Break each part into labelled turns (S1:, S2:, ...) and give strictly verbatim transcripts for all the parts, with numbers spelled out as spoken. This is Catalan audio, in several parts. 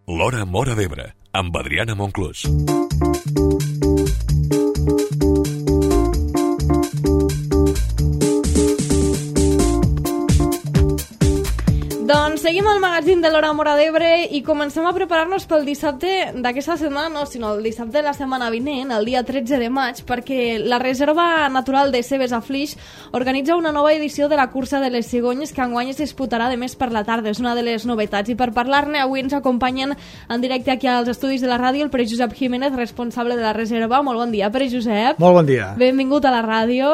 S1: L'Hora Móra d'Ebre, amb Adriana Monclús.
S2: Doncs seguim al magazín de l'Hora Móra d'Ebre i comencem a preparar-nos pel dissabte d'aquesta setmana, no, sinó el dissabte de la setmana vinent, el dia tretze de maig, perquè la Reserva Natural de Cebes a Flix organitza una nova edició de la cursa de les cigonyes que enguany es disputarà de més per la tarda. És una de les novetats. I per parlar-ne avui ens acompanyen en directe aquí als estudis de la ràdio el Pere Josep Jiménez, responsable de la Reserva. Molt bon dia, Pere Josep.
S3: Molt bon dia.
S2: Benvingut a la ràdio.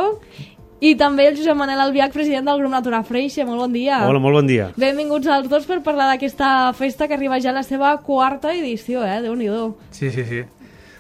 S2: I també el Josep Manel Albiach, president del grup Natura Freixe. Molt bon dia.
S4: Hola, molt bon dia.
S2: Benvinguts als dos per parlar d'aquesta festa que arriba ja a la seva quarta edició, eh? Déu-n'hi-do.
S3: Sí, sí, sí.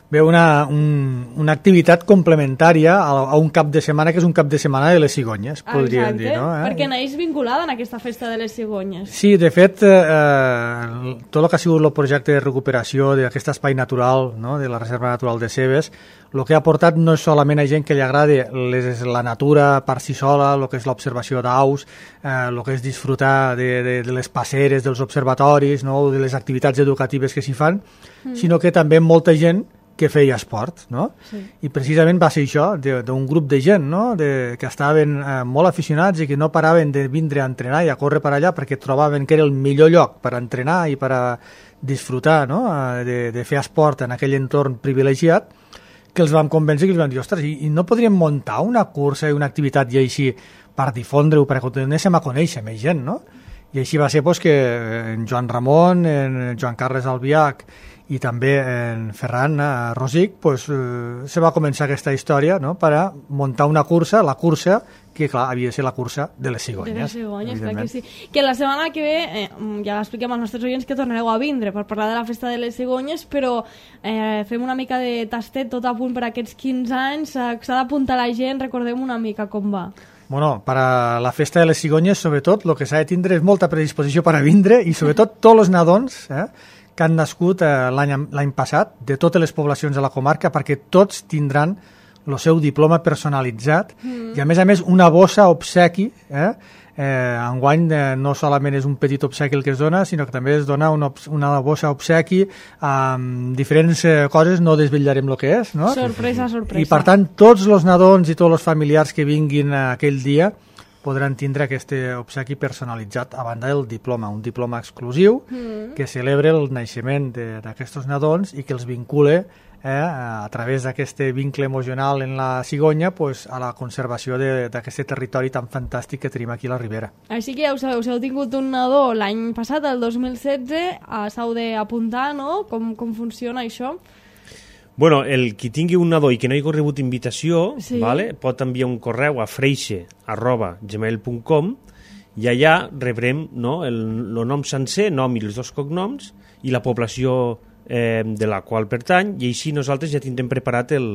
S3: Bé, una, un, una activitat complementària a, a un cap de setmana que és un cap de setmana de les cigonyes, podríem
S2: Exacte,
S3: dir, no? Eh?
S2: perquè neix vinculada en aquesta festa de les cigonyes.
S3: Sí, de fet, eh, tot el que ha sigut el projecte de recuperació d'aquest espai natural, no?, de la Reserva Natural de Cebes, el que ha portat no és solament a gent que li agrada les, la natura per si sola, el que és l'observació d'aus, eh, el que és disfrutar de, de, de les passeres, dels observatoris, no?, de les activitats educatives que s'hi fan, mm. sinó que també molta gent que feia esport, no? Sí. I precisament va ser això, d'un grup de gent, no?, de, que estaven eh, molt aficionats i que no paraven de vindre a entrenar i a córrer per allà perquè trobaven que era el millor lloc per entrenar i per a disfrutar, no?, de, de fer esport en aquell entorn privilegiat, que els vam convèncer, que els vam dir, ostres, i, i no podríem muntar una cursa i una activitat i així per difondre-ho, perquè continuéssim a conèixer més gent, no? I així va ser pues, que en Joan Ramon, en Joan Carles Albiach i també en Ferran Rosic pues, eh, se va començar aquesta història, no?, per a muntar una cursa, la cursa que clar, havia de ser la cursa de les cigonyes.
S2: De les cigonyes, clar que sí. Que la setmana que ve, eh, ja l'expliquem als nostres oients que tornareu a vindre per parlar de la festa de les cigonyes, però eh, fem una mica de tastet tot a punt per aquests quinze anys, eh, s'ha d'apuntar la gent, recordem una mica com va.
S3: Bueno, per a la festa de les cigonyes, sobretot, el que s'ha de tindre és molta predisposició per a vindre i sobretot tots els nadons, eh, que han nascut eh, l'any passat, de totes les poblacions de la comarca, perquè tots tindran el seu diploma personalitzat mm. i, a més a més, una bossa obsequi. Eh? Eh, enguany eh, no solament és un petit obsequi el que es dona, sinó que també es dona una, una bossa obsequi amb diferents eh, coses, no desvetllarem el que és. No?
S2: Sorpresa, sorpresa.
S3: I, per tant, tots els nadons i tots els familiars que vinguin aquell dia podran tindre aquest obsequi personalitzat a banda del diploma, un diploma exclusiu mm. que celebra el naixement d'aquests nadons i que els vincule eh, a través d'aquest vincle emocional en la cigonya pues, a la conservació d'aquest territori tan fantàstic que tenim aquí a la Ribera.
S2: Així que ja ho sabeu, si heu tingut un nadó l'any passat, el dos mil setze, s'heu d'apuntar, no? Com, com funciona això?
S4: Bueno, el qui tingui un nadó i que no hi hagi rebut invitació,
S2: sí.
S4: vale, pot enviar un correu a freixe arroba gmail punt com i allà rebrem, no, el, el nom sencer, nom i els dos cognoms i la població eh, de la qual pertany, i així nosaltres ja tindrem preparat el,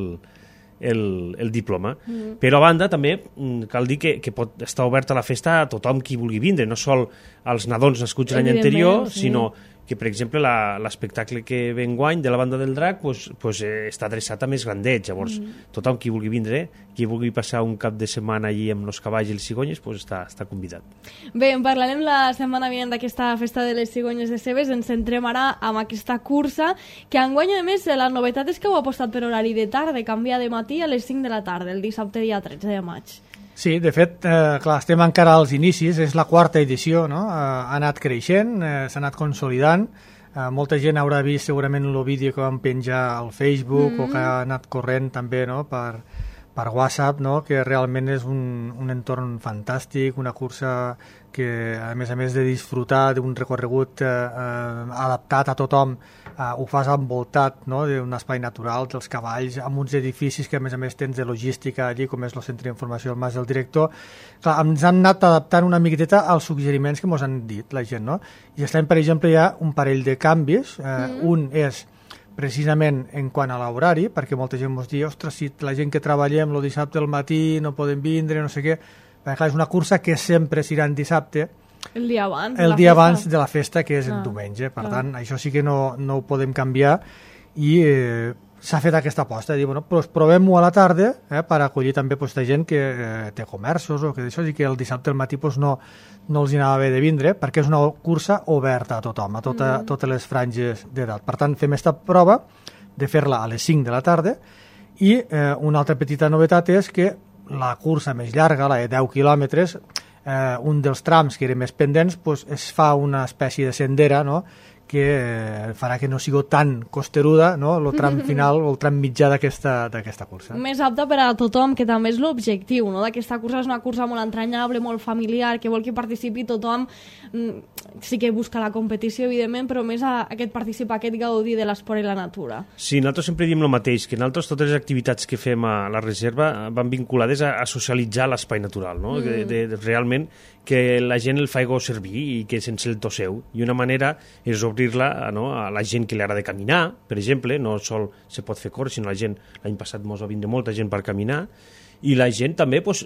S4: el, el diploma. Mm. Però a banda també cal dir que, que pot estar oberta la festa a tothom qui vulgui vindre, no sol als nadons nascuts l'any anterior, sí. sinó que, per exemple, l'espectacle que ve enguany de la Banda del Drac pues, pues, eh, està adreçat a més grandets. Llavors, mm. tothom qui vulgui vindre, qui vulgui passar un cap de setmana allí amb els cavalls i les cigonyes, pues, està, està convidat.
S2: Bé, en parlarem la setmana vinent d'aquesta festa de les cigonyes de Cebes. Ens centrem ara amb aquesta cursa, que enguany, a més, la novetat és que heu apostat per horari de tarda, canvia de matí a les cinc de la tarda, el dissabte dia tretze de maig.
S3: Sí, de fet, eh, clar, estem encara als inicis, és la quarta edició, no? Eh, ha anat creixent, eh, s'ha anat consolidant, eh, molta gent haurà vist segurament el vídeo que vam penjar al Facebook mm. o que ha anat corrent també, no?, per, per WhatsApp, no?, que realment és un, un entorn fantàstic, una cursa que, a més a més de disfrutar d'un recorregut eh, eh, adaptat a tothom, eh, ho fas envoltat, no?, d'un espai natural, dels cavalls, amb uns edificis que a més a més tens de logística allí, com és el centre d'informació del Mas del Director. Clar, ens han anat adaptant una miqueta als suggeriments que ens han dit la gent, no? I estem, per exemple, hi ha un parell de canvis. Eh, mm. Un és precisament en quant a l'horari, perquè molta gent ens diu, ostres, si la gent que treballem el dissabte al matí no podem vindre, no sé què. Perquè, clar, és una cursa que sempre serà en dissabte,
S2: el dia abans,
S3: el
S2: de,
S3: dia
S2: la
S3: abans de la festa, que és
S2: ah,
S3: el diumenge. Per
S2: clar.
S3: tant, això sí que no, no ho podem canviar i eh, s'ha fet aquesta aposta, de dir, bueno, pues provem-ho a la tarda eh, per acollir també pues, de gent que eh, té comerços o que d'això, i que el dissabte al matí pues, no, no els anava bé de vindre, perquè és una cursa oberta a tothom, a tota, mm. totes les franges d'edat. Per tant, fem aquesta prova de fer-la a les cinc de la tarda, i eh, una altra petita novetat és que la cursa més llarga, la de deu quilòmetres, eh, un dels trams que eren més pendents, pues, es fa una espècie de sendera, no?, que eh, farà que no sigui tan costeruda, no?, el tram final o el tram mitjà d'aquesta d'aquesta cursa.
S2: Més apta per a tothom, que també és l'objectiu, no?, d'aquesta cursa. És una cursa molt entranyable, molt familiar, que vol que participi tothom. Sí que busca la competició, evidentment, però més a aquest participar, aquest gaudir de l'esport i la natura.
S4: Sí, nosaltres sempre diem el mateix, que nosaltres totes les activitats que fem a la reserva van vinculades a, a socialitzar l'espai natural, no? Mm. De, de, de, realment que la gent el faci servir i que sense el tosseu. I una manera és obrir-la, no?, a la gent que li agrada caminar, per exemple, no sol se pot fer córrer, sinó la gent, l'any passat mos va vindre molta gent per caminar, i la gent també pues,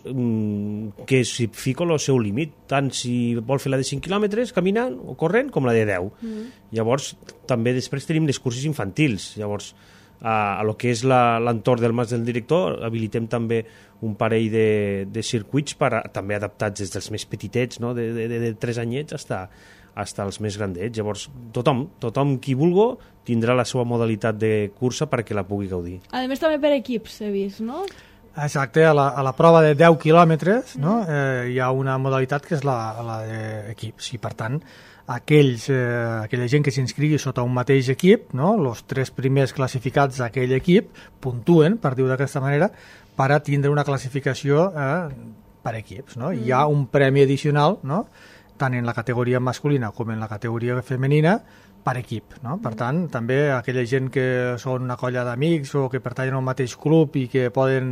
S4: que s'hi fica el seu límit, tant si vol fer la de cinc quilòmetres caminant o corrent com la de deu. Mm. Llavors, també després tenim les curses infantils. Llavors, a, a lo que és l'entorn del Mas del Director, habilitem també un parell de, de circuits per a, també adaptats des dels més petitets, no?, de, de, de tres anyets fins fins als més grandets. Llavors, tothom, tothom qui vulgui tindrà la seva modalitat de cursa perquè la pugui gaudir.
S2: A més, també per equips, he vist, no?
S3: Exacte, a la, a la prova de deu quilòmetres, no? eh, hi ha una modalitat que és la, la d'equips, i per tant aquells, eh, aquella gent que s'inscrigui sota un mateix equip, no? Els tres primers classificats d'aquell equip puntuen, per dir-ho d'aquesta manera, per a tindre una classificació eh, per equips, no? Mm. Hi ha un premi addicional, no?, tant en la categoria masculina com en la categoria femenina, per equip, no? Per tant, també aquella gent que són una colla d'amics o que pertanyen al mateix club i que poden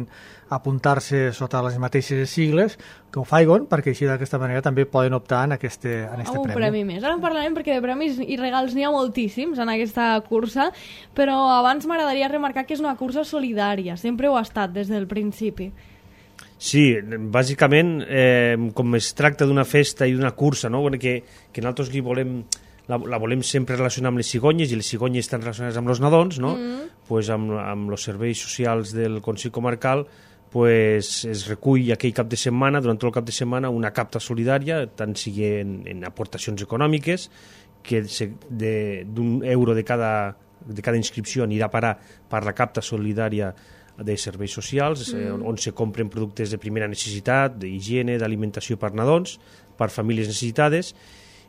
S3: apuntar-se sota les mateixes sigles, que ho faiguen, perquè així d'aquesta manera també poden optar en este, en este
S2: un
S3: premi.
S2: premi més. Ara en parlarem perquè de premis i regals n'hi ha moltíssims en aquesta cursa, però abans m'agradaria remarcar que és una cursa solidària, sempre ho ha estat des del principi.
S4: Sí, bàsicament, eh, com es tracta d'una festa i d'una cursa, no?, que, que nosaltres li volem... La, la volem sempre relacionar amb les cigonyes, i les cigonyes estan relacionades amb els nadons, no? Mm. Pues amb, amb els serveis socials del Consell Comarcal pues, es recull aquell cap de setmana, durant tot el cap de setmana, una capta solidària, tant sigui en, en aportacions econòmiques, que d'un euro de cada, de cada inscripció anirà a parar per la capta solidària de serveis socials, mm. eh, on se compren productes de primera necessitat, d'higiene, d'alimentació per nadons, per famílies necessitades.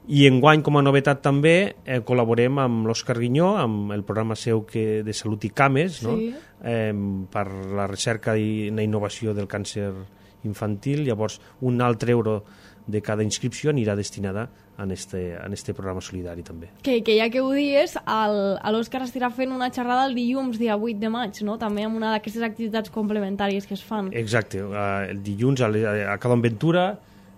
S4: I enguany, com a novetat també, eh, col·laborem amb l'Òscar Guinyó, amb el programa seu que, de Salut i Cames, no? Sí. eh, per la recerca i la innovació del càncer infantil. Llavors, un altre euro de cada inscripció anirà destinada en este, en este programa solidari també. Que,
S2: que ja que ho dius, l'Òscar estarà fent una xerrada el dilluns, dia vuit de maig, no?, també amb una d'aquestes activitats complementàries que es fan.
S4: Exacte, uh, el dilluns a, a Cadon Ventura,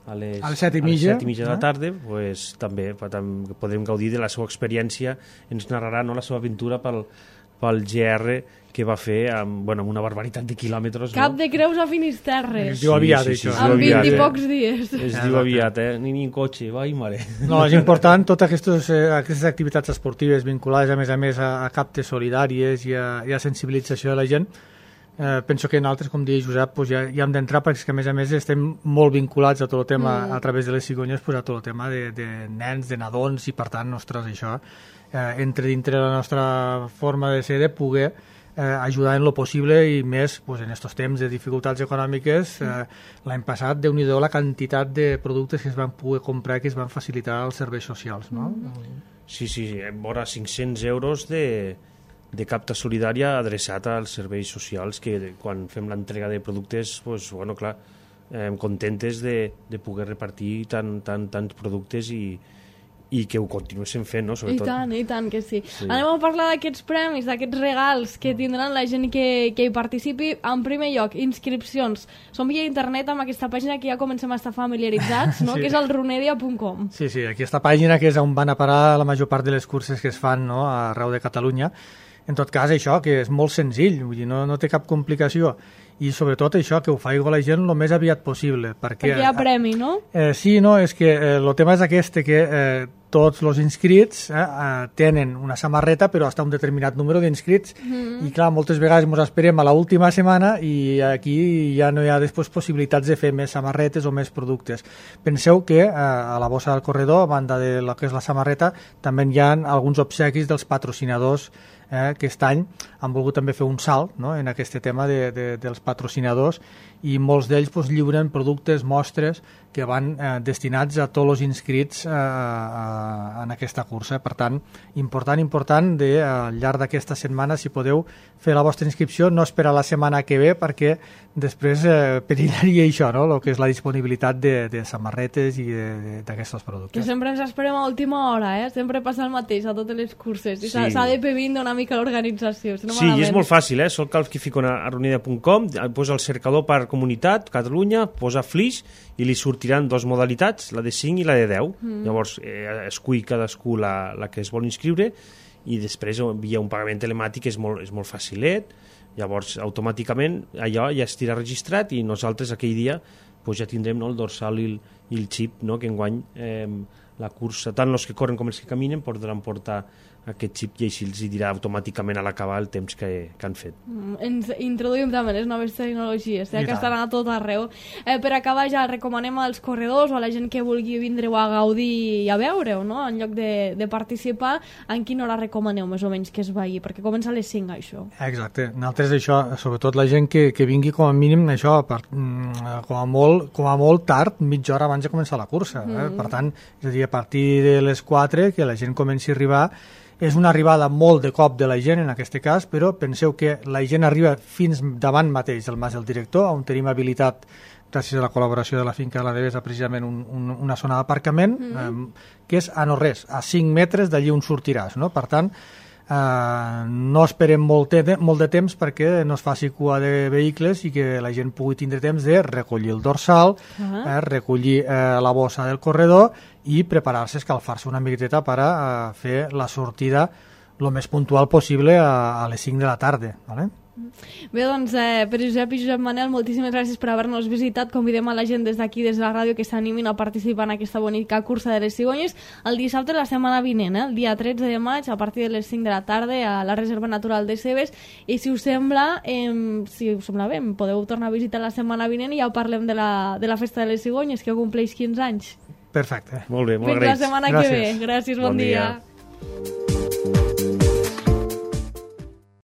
S4: a les,
S3: a les set i mitja,
S4: a les set i mitja no? de la tarda, pues, també podrem gaudir de la seva experiència. Ens narrarà, no?, la seva aventura pel, pel G R que va fer amb, bueno, amb una barbaritat de quilòmetres.
S2: Cap
S4: no?
S2: de Creus a Finisterre.
S3: Es diu aviat,
S4: sí, sí, sí,
S3: això.
S2: En vint i pocs dies.
S4: Es diu aviat, eh? Ni, ni en cotxe, vai, mare.
S3: No, és important, totes aquestes, eh, aquestes activitats esportives vinculades, a més a més, a, a captes solidàries i a, i a sensibilització de la gent. Eh, penso que nosaltres, com deia Josep, pues ja, ja hem d'entrar, perquè a més a més estem molt vinculats a tot el tema, mm. a través de les cigonyes, pues a tot el tema de, de nens, de nadons, i per tant, ostres, això eh, entre dintre la nostra forma de ser, de poder eh, ajudar en lo possible, i més pues, en aquests temps de dificultats econòmiques. Eh, l'any passat, Déu-n'hi-do la quantitat de productes que es van poder comprar, que es van facilitar als serveis socials, no?
S4: Mm. Sí, sí, vora cinc-cents euros de... de capta solidària adreçat als serveis socials, que quan fem l'entrega de productes, pues, bueno, clar, eh, contentes de, de poder repartir tant, tant, tants productes i, i que ho continuéssim fent, no? Sobretot.
S2: I tant, i tant que sí. sí. Anem a parlar d'aquests premis, d'aquests regals que tindran la gent que, que hi participi. En primer lloc, inscripcions. Som via internet amb aquesta pàgina que ja comencem a estar familiaritzats, no? Sí. Que és el runedia punt com.
S3: Sí, sí, aquesta pàgina que és on van a parar la major part de les curses que es fan, no?, arreu de Catalunya. En tot cas, això, que és molt senzill, vull dir, no, no té cap complicació. i sobretot això, que ho faci la gent el més aviat possible. Perquè,
S2: perquè hi ha premi, no?
S3: Eh, sí, no, és que eh, el tema és aquest, que eh, tots els inscrits eh, eh, tenen una samarreta, però hasta un determinat número d'inscrits, mm. i clar, moltes vegades ens esperem a l'última setmana i aquí ja no hi ha després possibilitats de fer més samarretes o més productes. Penseu que eh, a la bossa del corredor, a banda de lo que és la samarreta, també hi ha alguns obsequis dels patrocinadors eh, que aquest any han volgut també fer un salt, no?, en aquest tema de, de, dels patrocinadors, i molts d'ells pues, lliuren productes, mostres que van eh, destinats a tots els inscrits eh, eh, en aquesta cursa. Per tant, important, important de, eh, al llarg d'aquesta setmana, si podeu fer la vostra inscripció, no esperar la setmana que ve, perquè després eh, perillaria això, no?, el que és la disponibilitat de, de samarretes i d'aquests productes.
S2: Que sempre ens esperem a última hora, eh? Sempre passa el mateix a totes les curses, i s'ha
S4: Sí.
S2: de pevint una mica l'organització. Si no
S4: Sí,
S2: malament.
S4: i és molt fàcil, eh? Sol cal que fico a arronida punt com, posa el cercador per comunitat, Catalunya, posa Flix, i li sortiran dues modalitats, la de cinc i la de deu. Mm. Llavors, eh, escull cadascú la, la que es vol inscriure, i després via un pagament telemàtic és molt, és molt facilet. Llavors, automàticament, allò ja estirà registrat i nosaltres aquell dia pues, ja tindrem, no, el dorsal i el, i el xip, no?, que enguany eh, la cursa, tant els que corren com els que caminen, podran portar aquest xip i així els dirà automàticament a l'acabar el temps que, que han fet.
S2: Mm, ens introduïm també les noves tecnologies, eh,
S3: I
S2: que
S3: tant.
S2: estan a tot arreu. Eh, per acabar ja recomanem als corredors o a la gent que vulgui vindre-ho a gaudir i a veure-ho, no?, en lloc de, de participar, en quina hora recomaneu més o menys que es vagi? Perquè comença a les cinc, això.
S3: Exacte. Nosaltres això, sobretot la gent que, que vingui com a mínim això, per, mm, com, a molt, com a molt tard, mitja hora abans de començar la cursa. Eh?
S2: Mm.
S3: Per tant, és a dir, a partir de les quatre, que la gent comenci a arribar, és una arribada molt de cop de la gent en aquest cas, però penseu que la gent arriba fins davant mateix del Mas del Director, on tenim habilitat, gràcies a la col·laboració de la finca de la Devesa, precisament un, un, una zona d'aparcament, mm -hmm. eh, que és a no res, a cinc metres d'allí on sortiràs, no? Per tant, eh, no esperem molt, te molt de temps perquè no es faci cua de vehicles i que la gent pugui tindre temps de recollir el dorsal, uh -huh. eh, recollir eh, la bossa del corredor i preparar-se, escalfar-se una miqueta per a, a fer la sortida el més puntual possible a, a les cinc de la tarda, ¿vale?
S2: Bé, doncs, eh, per Josep i Josep Manel, moltíssimes gràcies per haver-nos visitat. Convidem a la gent des d'aquí, des de la ràdio, que s'animin a participar en aquesta bonica cursa de les cigonyes el dissabte de la setmana vinent, eh? El dia tretze de maig, a partir de les cinc de la tarda, a la Reserva Natural de Cebes. I si us sembla, eh, si us sembla bé, podeu tornar a visitar la setmana vinent i ja parlem de la, de la Festa de les Cigonyes, que compleix quinze anys.
S3: Perfecte.
S4: Molt bé, molt
S2: Fins
S4: agraïts.
S2: la setmana
S3: Gràcies.
S2: que ve. Gràcies, bon,
S4: Bon
S2: dia.
S4: dia.